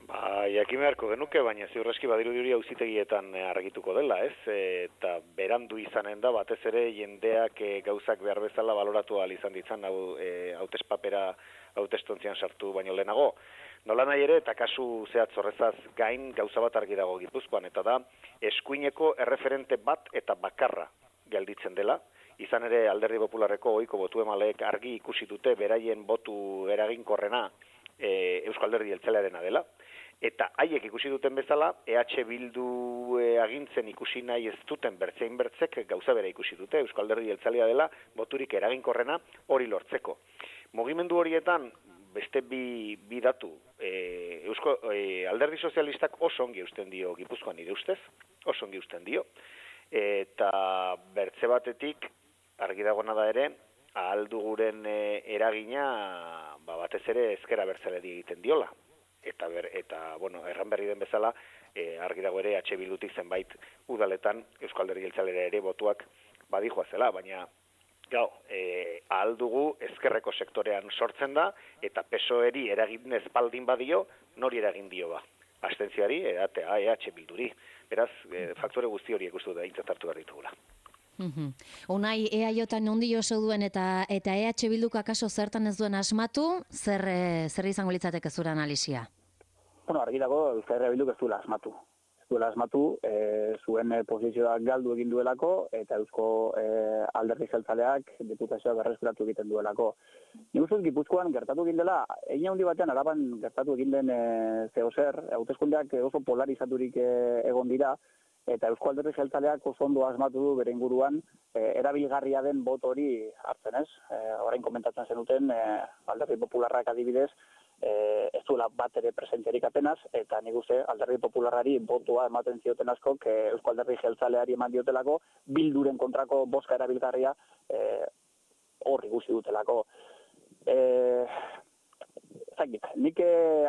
Ba, jakin beharko genuke, baina ziurreski badirudi hori auzitegietan argituko dela, ez? Eta berandu izanen da, batez ere jendeak e, gauzak behar bezala baloratu ahal izan ditzan, hau e, hautespapera hautestontzian sartu baino lehenago. Nola nahi ere, eta kasu zehatz horrezaz gain gauza bat argi dago Gipuzkoan, eta da eskuineko erreferente bat eta bakarra gelditzen dela. Izan ere Alderdi Popularreko ohiko botu emaleek argi ikusi dute beraien botu eraginkorrena e, Euskal Alderdi Jeltzalearena dela. Eta haiek ikusi duten bezala, E H Bildu e, agintzen ikusi nahi ez duten bertzein bertzek gauza bera ikusi dute, Euskal Alderdi Jeltzalea dela boturik eraginkorrena hori lortzeko. Mugimendu horietan, beste bi, bi datu, e, Eusko, e, Alderdi Sozialistak oso ongi eusten dio Gipuzkoan nire ustez, oso ongi eusten dio, eta bertze batetik, argi dagona da ere, ahalduguren e, eragina ba, batez ere ezkera bertzeleri egiten diola. Eta, ber, eta bueno, erran berri den bezala, e, argi dago ere H Bildutik zenbait udaletan Euskal Alderdi Jeltzalera ere botuak badijoa zela, baina gau, e, ahal dugu ezkerreko sektorean sortzen da, eta P S O E-ri eragin ezbaldin badio, nori eragin dio ba. Abstentziari, edatea E H Bilduri. Beraz, e, faktore guzti horiek uste da intzatartu behar ditugula. Uhum. Unai, E A J nondi oso duen eta eta E H Bilduk akaso zertan ez duen asmatu, zer, e, zer izango litzateke zure analisia? Bueno, argi dago Euskal Herria Bilduk ez duela asmatu. Ez zuela asmatu, e, zuen e, posizioak galdu egin duelako, eta Eusko e, Alderdi Jeltzaleak diputazioa berreskuratu egiten duelako. Nik uste Gipuzkoan gertatu egin dela, egin handi batean Araban gertatu egin den e, zeozer, hauteskundeak oso polarizaturik e, egon dira, eta Eusko Alderdi Jeltzaleak oso ondo asmatu du bere inguruan e, erabilgarria den bot hori hartzen, ez? E, orain komentatzen zenuten, e, Alderdi Popularrak adibidez, e, ez duela bat ere presenterik apenas, eta nik uste Alderdi Popularrari botua ematen zioten askok e, Eusko Alderdi Jeltzaleari eman diotelako, Bilduren kontrako bozka erabilgarria e, horri guzti dutelako. E, Zakit, nik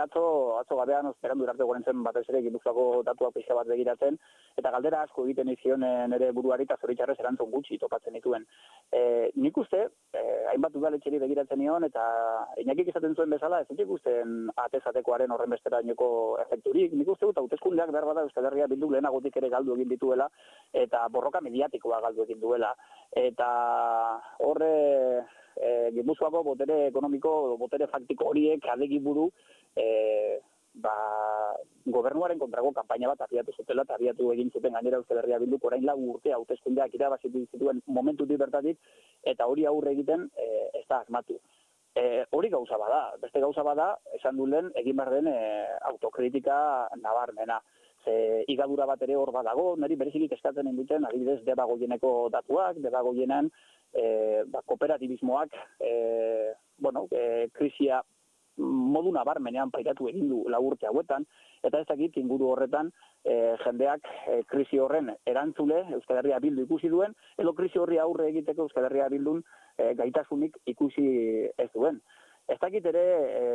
atzo, atzo gabean osperandu irarte gorentzen batez ere Gipuzkoako datuak pixka bat begiratzen, eta galdera asko egiten izion nire buruari eta zoritxarrez erantzun gutxi topatzen dituen. E, nik uste, e, hainbat udaletxeri begiratzen nion, eta inakik izaten zuen bezala, ez dut ikusten atezatekoaren horren besterainoko efekturik. Nik uste dut, hauteskundeak behar bada Euskal Herria Bildu lehenagotik ere galdu egin dituela, eta borroka mediatikoa galdu egin duela. Eta horre... E, Gipuzkoako botere ekonomiko, botere faktiko horiek adegi buru e, ba, gobernuaren kontrako kanpaina bat abiatu zutela eta abiatu egin zuten gainera Euskal Herria Bilduk orain lau urte hauteskundeak irabazitu zituen momentutik bertatik eta hori aurre egiten e, ez da asmatu. E, hori gauza bada, beste gauza bada, esan du lehen egin behar den e, autokritika nabarmena. Ze igadura bat ere hor badago, niri berezikik eskatzen induten, adibidez, Debagoieneko datuak, Debagoienan E, ba, kooperatibismoak e, bueno, e, krisia modu nabarmenean pairatu egin du lau urte hauetan, eta ez dakit inguru horretan e, jendeak e, krisi horren erantzule Euskal Herria Bildu ikusi duen, edo krisi horri aurre egiteko Euskal Herria Bildun e, gaitasunik ikusi ez duen. Ez dakit ere e,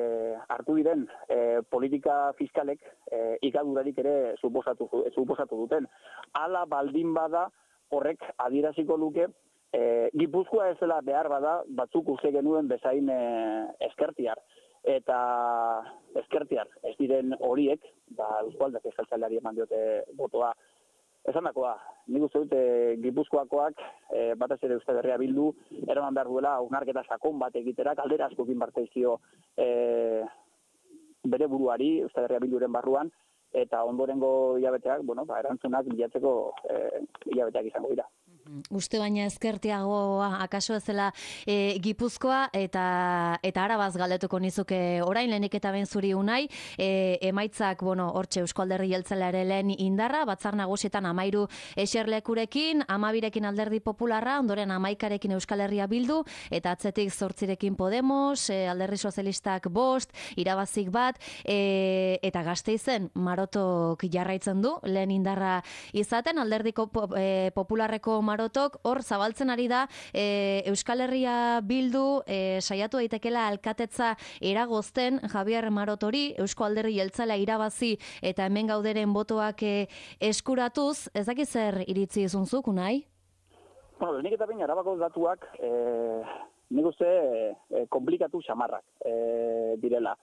hartu diren e, politika fiskalek e, ikadurarik ere suposatu, suposatu duten. Hala baldin bada horrek adieraziko luke E, Gipuzkoa ez dela behar bada batzuk uste genuen bezain e, eskertiar. Eta eskertiar ez diren horiek, ba, Eusko Alderdi Jeltzaleari eman diote botoa. Esandakoa, nik uste dute Gipuzkoakoak e, batez ere Euskal Herria Bildu eraman behar duela hausnarketa sakon bat egitera, kaldera asko egin barteizio e, bere buruari Euskal Herria Bilduren barruan, eta ondorengo hilabeteak, bueno, ba, erantzunak bilatzeko e, hilabeteak izango dira. Uste baina ezkertiagoa akaso ezela e, Gipuzkoa eta eta Arabaz galdetuko nizuke orain lehenik eta ben zuri unai e, emaitzak bueno hortxe Eusko Alderdi Jeltzalearen lehen indarra batzar nagusietan hamairu eserlekurekin hamabirekin Alderdi Popularra ondoren hamaikarekin Euskal Herria Bildu eta atzetik zortzirekin Podemos e, Alderdi Sozialistak bost irabazik bat e, eta Gasteizen Marotok jarraitzen du lehen indarra izaten Alderdiko e, Popularreko Marotok hor zabaltzen ari da e, Euskal Herria Bildu e, saiatu daitekela alkatetza eragozten Javier Marotori Eusko Alderdi Jeltzalea irabazi eta hemen gauderen botoak e, eskuratuz, ez dakit zer iritzi izunzuk, unai? Bueno, nik eta baina Arabako datuak e, nik uste e, komplikatu xamarrak e, direla.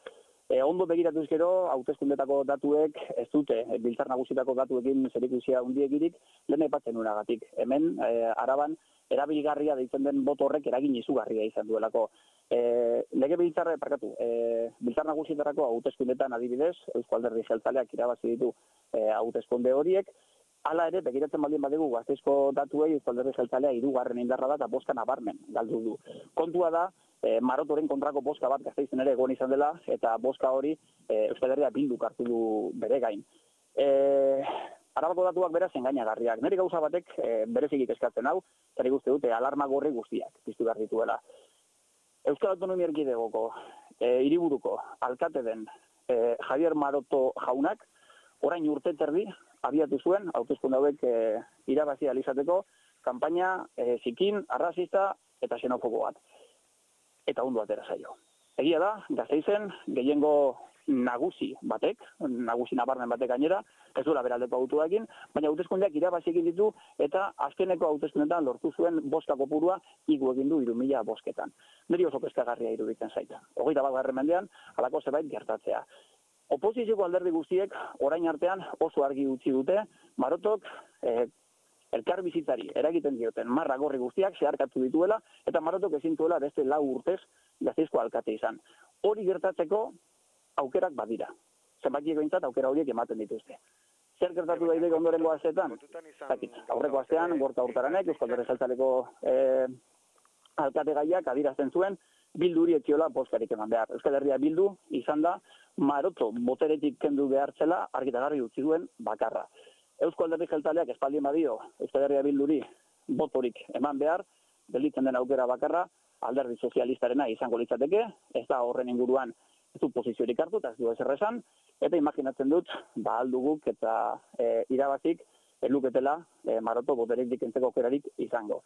E, ondo begiratuz gero, hauteskundetako datuek ez dute, e, biltzar nagusitako datuekin zerikusia hundiegirik, lehen aipatzen nuenagatik. Hemen, e, Araban, erabilgarria deitzen den boto horrek eragin izugarria izan duelako. E, lege biltzarra, parkatu, e, biltzar nagusietarako hauteskundetan adibidez, Eusko Alderdi Jeltzaleak irabazi ditu e, hauteskunde horiek, hala ere, begiratzen baldin badegu Gasteizko datuei Eusko Alderdi Jeltzalea hirugarren indarra da eta boska nabarmen galdu du. Kontua da, E, Marotoren kontrako boska bat Gasteizen ere egon izan dela, eta boska hori e, Euskal Herria Bilduk hartu du bere gain. E, Arabako datuak beraz engainagarriak. Nire gauza batek e, berezikik eskatzen hau, zer ikuste dute alarma gorri guztiak piztu behar dituela. Euskal Autonomia Erkidegoko e, hiriburuko alkate den e, Javier Maroto jaunak, orain urte terdi abiatu zuen, hauteskunde hauek e, irabazi alizateko, kanpaina e, zikin, arrazista eta xenofobo bat. Eta ondo atera zaio. Egia da, Gasteizen, gehiengo nagusi batek, nagusi nabarmen batek gainera, ez duela beraldeko autuakin, baina hauteskundeak irabazi egin ditu eta azkeneko hauteskundetan lortu zuen boska kopurua igu egin du hiru mila bosketan. Niri oso kezkagarria iruditzen zaita. Hogeita bat garren mendean, halako zerbait gertatzea. Oposizioko alderdi guztiek orain artean oso argi utzi dute, Marotok eh, elkar bizitzari eragiten dioten marra gorri guztiak zeharkatu dituela, eta Marotok ezin duela beste lau urtez Gasteizko alkate izan. Hori gertatzeko aukerak badira. Zenbakieko intzat aukera horiek ematen dituzte. zer gertatu daiteke ondorengo asteetan? Zakit, aurreko astean, Gorka Hurtaranek, Euskal Herria Jeltzaleko eh, alkategaiak adierazten zuen, Bilduri ekiola bozkarik eman behar. Euskal Herria Bildu izan da, Maroto boteretik kendu behartzela argitagarri utzi duen bakarra. Euskal Herria Jeltzaleak espaldien badio Euskal Herria Bilduri botorik eman behar, gelditzen den aukera bakarra, Alderdi Sozialistarena izango litzateke, ez da horren inguruan ez du posiziorik hartu, eta ez du ezer esan, eta imaginatzen dut, ba alduguk eta e, irabazik, eluketela e, Maroto boteretik kentzeko aukerarik izango.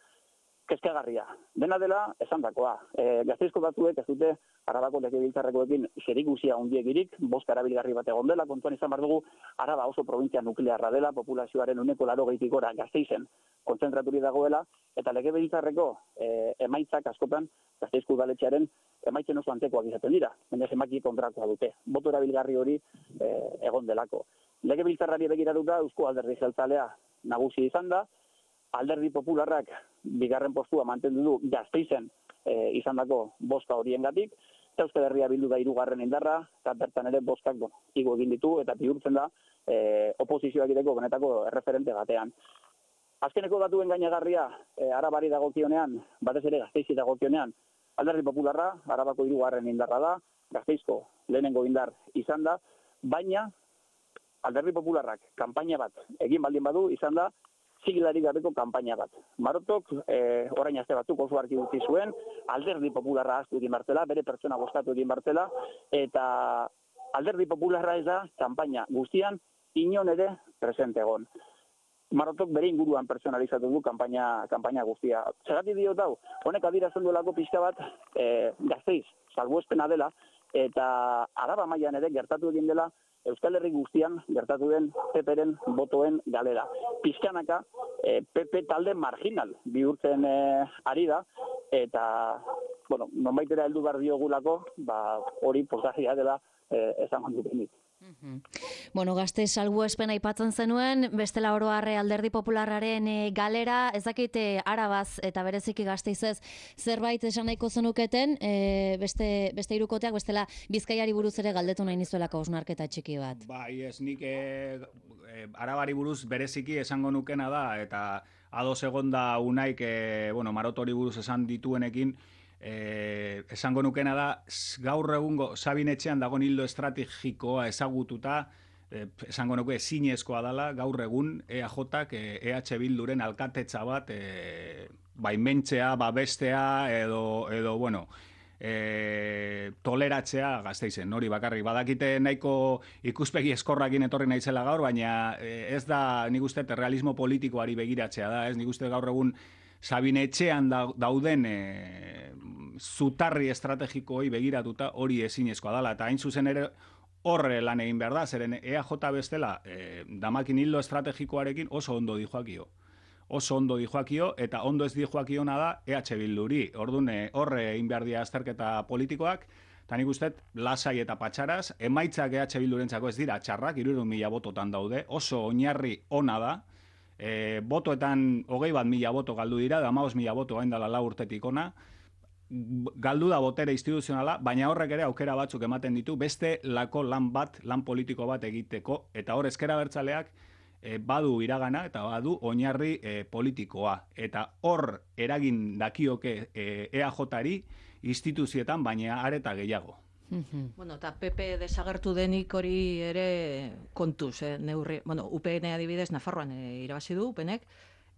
Kezkagarria. Dena dela, esan dakoa. E, Gasteizko batzuek ez dute Arabako legebiltzarrekoekin zerikusia handiegirik, boska erabilgarri bat egon dela, kontuan izan behar dugu, Araba oso provintzia nuklearra dela, populazioaren uneko laurogeitik gora Gasteizen kontzentraturik dagoela, eta legebiltzarreko e, emaitzak askotan Gasteizko udaletxearen emaitzen oso antekoak izaten dira, baina zenbaki kontrakoa dute. Boto erabilgarri hori e, egon delako. Legebiltzarrari begiratuta Eusko Alderdi Jeltzalea nagusi izan da, Alderdi Popularrak bigarren postua mantendu du Gasteizen e, izandako boska horiengatik, eta Euskal Herria Bildu da hirugarren indarra, eta bertan ere boskak bueno, igo egin ditu, eta bihurtzen da e, oposizioak egiteko benetako erreferente batean. Azkeneko datuen gainagarria e, Arabari dagokionean, batez ere Gasteizi dagokionean, Alderdi Popularra, Arabako hirugarren indarra da, Gasteizko lehenengo indar izan da, baina Alderdi Popularrak kanpaina bat egin baldin badu izan da, sigilarik gabeko kanpaina bat. Marotok, eh, orain aste batzuk oso argi utzi zuen, Alderdi Popularra ahaztu egin bartela, bere pertsona bozkatu egin bartela, eta Alderdi Popularra ez da, kanpaina guztian, inon ere presente egon. Marotok bere inguruan personalizatu du kanpaina, kanpaina guztia. Zergatik diot hau, honek adierazten duelako pixka bat eh, Gasteiz, salbuespena dela, eta Araba mailan ere gertatu egin dela, Euskal Herri guztian gertatu den P P-ren botoen galera. Pizkanaka e, P P talde marginal bihurtzen e, ari da, eta bueno, nonbaitera heldu behar diogulako, ba, hori posagia dela e, esan handutenik. Mm-hmm. Bueno, Gasteiz salbuespena aipatzen zenuen, bestela oro harre Alderdi Popularraren e, galera, ez dakite Arabaz eta bereziki Gasteizez zerbait esan nahiko zenuketen, e, beste, beste hirukoteak bestela Bizkaiari buruz ere galdetu nahi nizuelako osnarketa txiki bat. Bai, ez nik e, e, Arabari buruz bereziki esango nukena da, eta ados egonda unaik, e, bueno, Marotori buruz esan dituenekin, Eh, esango nukena da, gaur egungo Sabinetxean dagoen hildo estrategikoa ezagututa, eh, esango nuke zinezkoa dela, gaur egun E A Jak eh, E H Bilduren alkatetza bat eh, baimentzea, babestea, edo, edo bueno, E, toleratzea Gasteizen, hori bakarrik. Badakite nahiko ikuspegi eskorrakin etorri naizela gaur, baina e, ez da, nik uste, realismo politikoari begiratzea da, ez nik uste gaur egun Sabinetxean dauden e, zutarri estrategikoei begiratuta hori ezinezkoa dela, eta hain zuzen ere horre lan egin behar da, zeren E A J bestela e, damakin hildo estrategikoarekin oso ondo dijoakio. Oso ondo dijoakio, eta ondo ez dijoakiona da E H Bilduri. Orduan, horre egin behar dira azterketa politikoak, eta nik uste, lasai eta patxaraz, emaitzak E H Bildurentzako ez dira txarrak, hirurehun mila bototan daude, oso oinarri ona da, e, botoetan hogei bat mila boto galdu dira, da hamabost mila boto gain dela lau urtetik ona, galdu da botere instituzionala, baina horrek ere aukera batzuk ematen ditu, beste lako lan bat, lan politiko bat egiteko, eta hor ezker abertzaleak, E, badu iragana eta badu oinarri e, politikoa. Eta hor eragin dakioke e, E A Jari instituzietan, baina areta gehiago. Bueno, eta P P desagertu denik hori ere kontuz, eh, neurri. Bueno, U P N adibidez Nafarroan e, irabazi du U P Nek,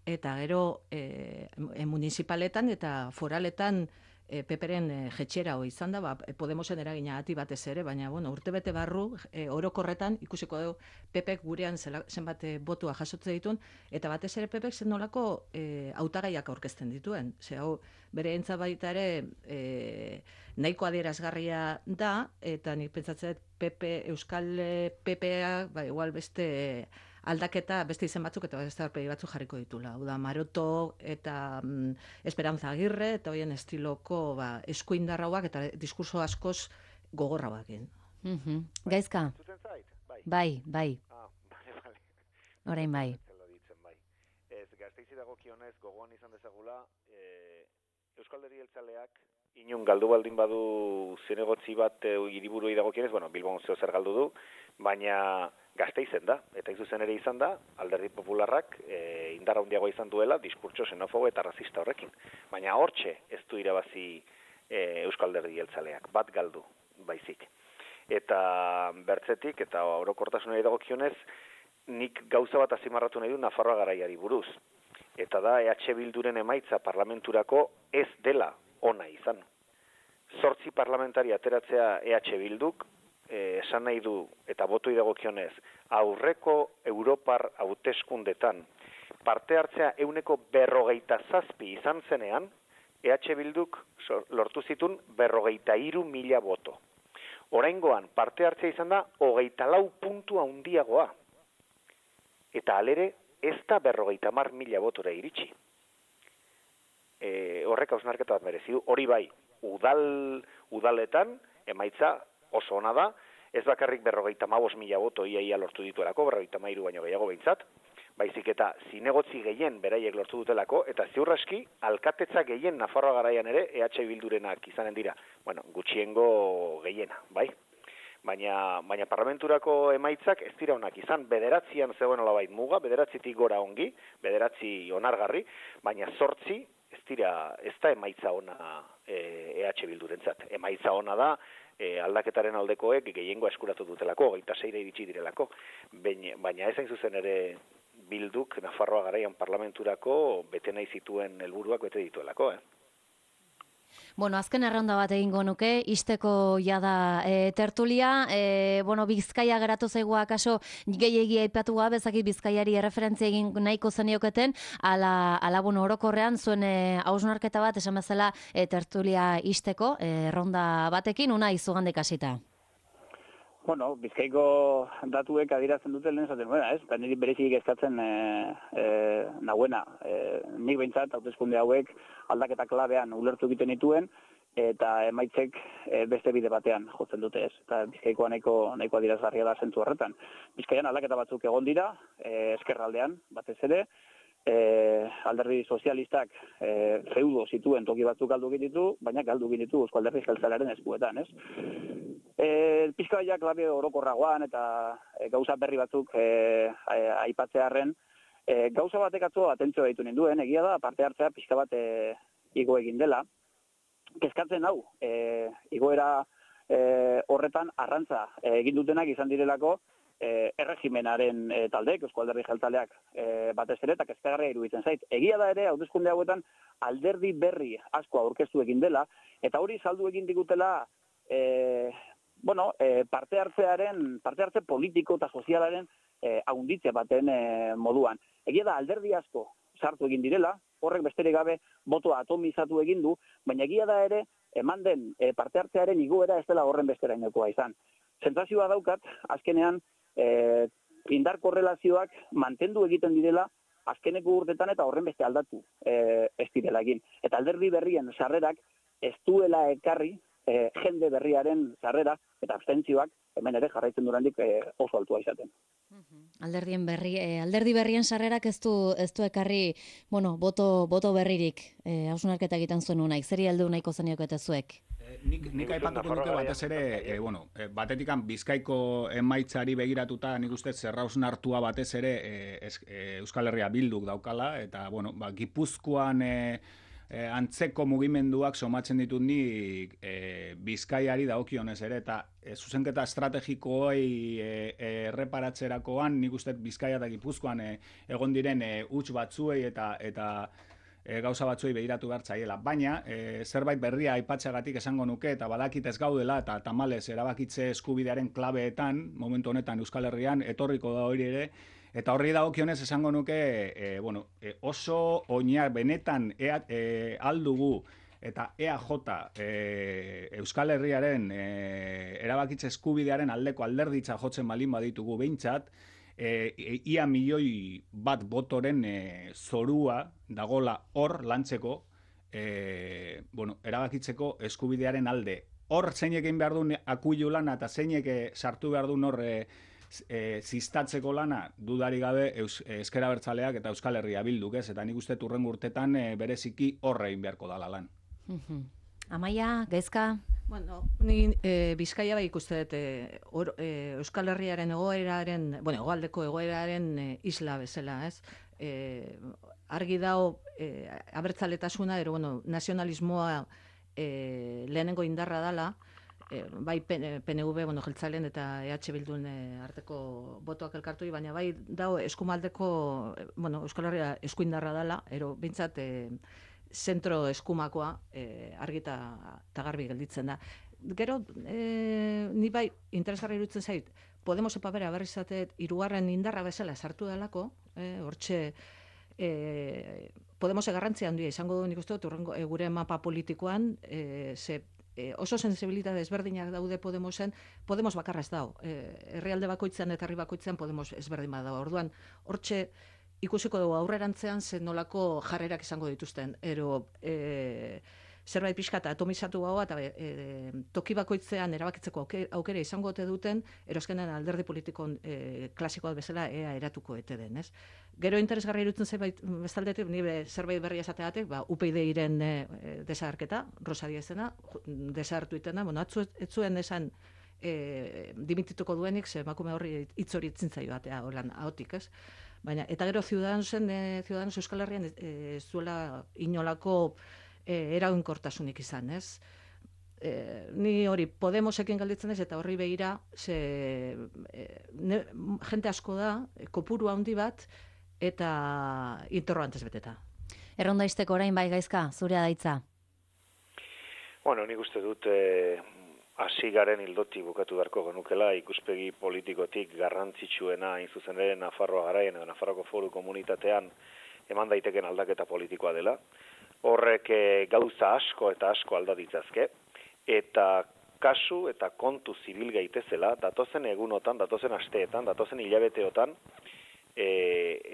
eta gero e, e, municipaletan eta foraletan E, Peperen e, jetxera hoi izan da, ba, Podemosen eragina ati batez ere, baina bueno, urtebete barru e, orokorretan ikusiko dugu Pepek gurean zela, zenbat botua jasotze dituen, eta batez ere Pepek zen nolako e, hautagaiak aurkezten dituen. Ze hau, bere entza baita ere e, nahiko adierazgarria da, eta nik pentsatzen Pepe, Euskal Pepea, ba, igual beste aldaketa, beste izen batzuk eta beste aurpegi batzuk jarriko ditula. Hau da, Maroto eta mm, Esperanza Agirre, eta hoien estiloko ba, eskuindarrauak eta diskurso askoz gogorrauak. Mm-hmm. Gaizka? Bai, bai. Ah, bale, bale. Orain bai. bai. Ez, Gasteizi dagokionez gogoan izan dezagula, e, Euskal Herria Jeltzaleak inun galdu baldin badu zinegotzi bat e, hiriburuei dagokionez, bueno, Bilbon zeo zer galdu du, baina Gasteizen da, eta hain zuzen ere izan da, Alderdi Popularrak e, indar handiagoa izan duela diskurtso xenofobo eta rasista horrekin. Baina hortxe ez du irabazi e, Euskal Alderdi Jeltzaleak, bat galdu baizik. Eta bertzetik, eta orokortasunari dagokionez, nik gauza bat azimarratu nahi du Nafarroa garaiari buruz. Eta da E H Bilduren emaitza parlamenturako ez dela ona izan. Zortzi parlamentari ateratzea E H Bilduk, eh, esan nahi du, eta botoi dagokionez, aurreko Europar hauteskundetan parte hartzea euneko berrogeita zazpi izan zenean, E H Bilduk lortu zitun berrogeita hiru mila boto. Oraingoan parte hartzea izan da hogeita lau puntu handiagoa. Eta alere ez da berrogeita hamar mila botora iritsi. E, horrek hausnarketa bat merezi du. Hori bai, udal, udaletan emaitza oso ona da, ez bakarrik berrogeita hamabost mila boto iaia lortu dituelako, berrogeita hamairu baino gehiago behintzat, baizik eta zinegotzi gehien beraiek lortu dutelako, eta ziurraski alkatetza gehien Nafarroa garaian ere E H Bildurenak izanen dira. Bueno, gutxiengo gehiena, bai? Baina, baina parlamenturako emaitzak ez dira onak izan, bederatzian zegoen olabait muga, bederatzitik gora ongi, bederatzi onargarri, baina zortzi ez dira, ez da emaitza ona E H Bildurentzat. Emaitza ona da e, aldaketaren aldekoek gehiengoa eskuratu dutelako, hogeita seira iritsi direlako, baina, baina ez hain zuzen ere Bilduk Nafarroa garaian parlamenturako bete nahi zituen helburuak bete dituelako, eh? Bueno, azken erronda bat egingo nuke, isteko jada e, tertulia, e, bueno, Bizkaia geratu zaigu akaso gehiegi aipatu gabe, ezakit Bizkaiari erreferentzia egin nahiko zenioketen, ala, ala bueno, orokorrean zuen e, hausnarketa bat, esan bezala e, tertulia isteko, e, erronda batekin, una izugandik hasita. Bueno, Bizkaiko datuek adierazten dute lehen zaten, bueno, ez? Eta niri berezik eskatzen e, e, nahuena. E, nik behintzat, hauteskunde hauek aldaketa klabean ulertu egiten dituen, eta emaitzek e, beste bide batean jotzen dute, ez? Eta Bizkaikoa nahiko, nahiko adierazgarria da zentu horretan. Bizkaian aldaketa batzuk egon dira, e, eskerraldean, batez ere, e, alderdi sozialistak e, feudo zituen toki batzuk galdu egin ditu, baina galdu egin ditu Eusko Alderdi Jeltzalearen eskuetan, ez? E, Pizkaia klabe orokorragoan eta e, gauza berri batzuk e, aipatzearren, e, gauza batek atzo atentzioa ditu ninduen, egia da parte hartzea pixka bat e, igo egin dela. Kezkatzen hau, e, igoera e, horretan arrantza e, egin dutenak izan direlako e, erregimenaren e, taldeek, Eusko Alderdi Jeltzaleak e, batez ere, eta kezkagarria iruditzen zait. Egia da ere, hauteskunde hauetan alderdi berri asko aurkeztu egin dela, eta hori saldu egin digutela e, bueno, e, parte hartzearen, parte hartze politiko eta sozialaren e, haunditze baten e, moduan. Egia da alderdi asko sartu egin direla, horrek besterik gabe botoa atomizatu egin du, baina egia da ere eman den e, parte hartzearen igoera ez dela horren besterainokoa izan. Sentsazioa daukat, azkenean e, indar korrelazioak mantendu egiten direla azkeneko urtetan eta horren beste aldatu e, ez direla egin. Eta alderdi berrien sarrerak ez duela ekarri E, jende berriaren sarrera eta abstentzioak hemen ere jarraitzen durandik e, oso altua izaten. Alderdien berri, e, alderdi berrien sarrerak ez du, ez du ekarri, bueno, boto, boto berririk e, hausnarketa egiten zuen unaik, zeri heldu nahiko zenioket zuek? E, nik nik aipatuko nuke batez ere, e, bueno, e, batetikan Bizkaiko emaitzari begiratuta nik uste zerrausnartua batez ere e, es, e, Euskal Herria Bilduk daukala, eta, bueno, ba, Gipuzkoan E, E, antzeko mugimenduak somatzen ditut ni e, Bizkaiari dagokionez ere, eta e, zuzenketa estrategikoei e, e, erreparatzerakoan nik uste Bizkaia eta Gipuzkoan e, egon diren e, huts batzuei eta eta e, gauza batzuei begiratu behar zaiela. Baina, e, zerbait berria aipatzeagatik esango nuke, eta badakit ez gaudela, eta tamalez erabakitze eskubidearen klabeetan, momentu honetan Euskal Herrian, etorriko da hori ere, eta horri dagokionez esango nuke, e, bueno, e, oso oinar benetan e, e, aldugu eta E A J e, Euskal Herriaren e, erabakitze eskubidearen aldeko alderditza jotzen balin baditugu behintzat, e, e, ia milioi bat botoren e, zorua dagola hor lantzeko, e, bueno, erabakitzeko eskubidearen alde. Hor zeinek egin behar duen akuilu lana eta zeinek sartu behar duen hor e, E, ziztatzeko lana dudari gabe Eus, Ezker Abertzaleak eta Euskal Herria Bilduk, ez? Eta nik uste urrengo urtetan e, bereziki horrein beharko dala lan. Amaia, Gaizka? Bueno, ni e, Bizkaia bai ikuste dut e, or, e, Euskal Herriaren egoeraren, bueno, egoaldeko egoeraren e, isla bezala, ez? E, argi dago e, abertzaletasuna, ero, bueno, nazionalismoa e, lehenengo indarra dala, e, bai P N V, bueno, jeltzalen eta E H Bildun e, arteko botoak elkartu, baina bai dago eskumaldeko, e, bueno, Euskal Herria eskuindarra dala, ero, bintzat, e, zentro eskumakoa e, argita eta garbi gelditzen da. Gero, e, ni bai, interesgarri iruditzen zait, Podemos epabera berri zatet, hirugarren indarra bezala sartu delako, e, hortxe, e, Podemos garrantzia handia izango du nik uste dut, urrengo, e, gure mapa politikoan, e, ze, e, oso sensibilitate ezberdinak daude Podemosen, Podemos bakarra ez dago. E, herrialde bakoitzean eta herri bakoitzean Podemos ezberdin badago. Orduan, hortxe, ikusiko dugu aurrerantzean zen nolako jarrerak izango dituzten. Ero, e, zerbait pixka eta atomizatu gaua, eta e, toki bakoitzean erabakitzeko aukera izango ote duten, eroskenan alderdi politikon e, klasikoa bezala ea eratuko ete den, ez? Gero interesgarri irutzen zerbait, bestaldetik, nire zerbait berria esateatek, ba, U P D iren e, desagerketa, Rosa Diezena, desagertu itena, bueno, atzu, etzuen esan e, dimitituko duenik, ze emakume horri hitz hori itzintzaio batea, holan, ahotik, ez? Baina, eta gero Ciudadanosen, e, Ciudadanos Euskal Herrian ez e, zuela inolako e, eraginkortasunik izan, ez? E, ni hori Podemosekin galditzen ez, eta horri begira, ze, e, ne, jente asko da, e, kopuru handi bat, eta interrogantes beteta. Erronda izteko orain bai Gaizka, zurea daitza. Bueno, nik uste dut... E... hasi garen hildotik bukatu beharko genukela ikuspegi politikotik garrantzitsuena hain zuzen ere Nafarroa garaien edo Nafarroko Foru Komunitatean eman daiteken aldaketa politikoa dela. Horrek gauza asko eta asko alda ditzazke eta kasu eta kontu zibil gaitezela datozen egunotan, datozen asteetan, datozen hilabeteotan e,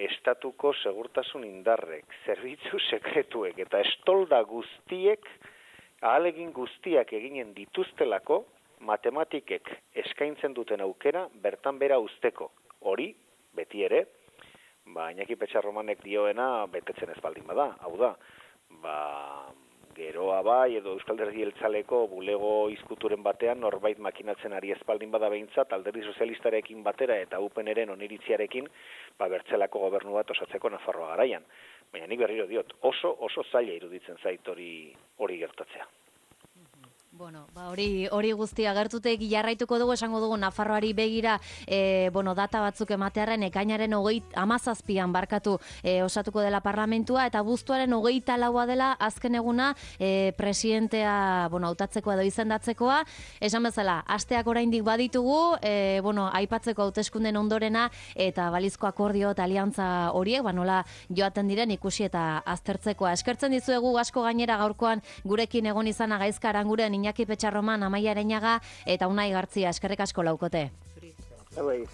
estatuko segurtasun indarrek, zerbitzu sekretuek eta estolda guztiek ahalegin guztiak eginen dituztelako matematikek eskaintzen duten aukera bertan bera usteko. Hori, beti ere, ba, Iñaki Petxarromanek dioena betetzen ez baldin bada. Hau da, ba, geroa bai edo Euskal Alderdi Jeltzaleko bulego izkuturen batean norbait makinatzen ari ez baldin bada behintzat Alderdi Sozialistarekin batera eta U P N-ren oniritziarekin ba, bertzelako gobernu bat osatzeko Nafarroa garaian. Baina nik berriro diot, oso oso zaila iruditzen zait hori hori gertatzea. Bueno, ba hori hori guztia gertutek jarraituko dugu, esango dugu Nafarroari begira, e, bueno, data batzuk ematearren ekainaren hogeita hamazazpian barkatu e, osatuko dela parlamentua eta abuztuaren hogeita laua dela azken eguna e, presidentea, bueno, hautatzeko edo izendatzekoa. Esan bezala, asteak oraindik baditugu, e, bueno, aipatzeko hauteskunden ondorena eta balizko akordio eta aliantza horiek, ba nola joaten diren ikusi eta aztertzekoa. Eskertzen dizuegu asko gainera gaurkoan gurekin egon izana Gaizka Aranguren, Iñaki Petxarroman, Amaia Areñaga eta Unai Gartzia. Eskerrik asko laukote. Bai.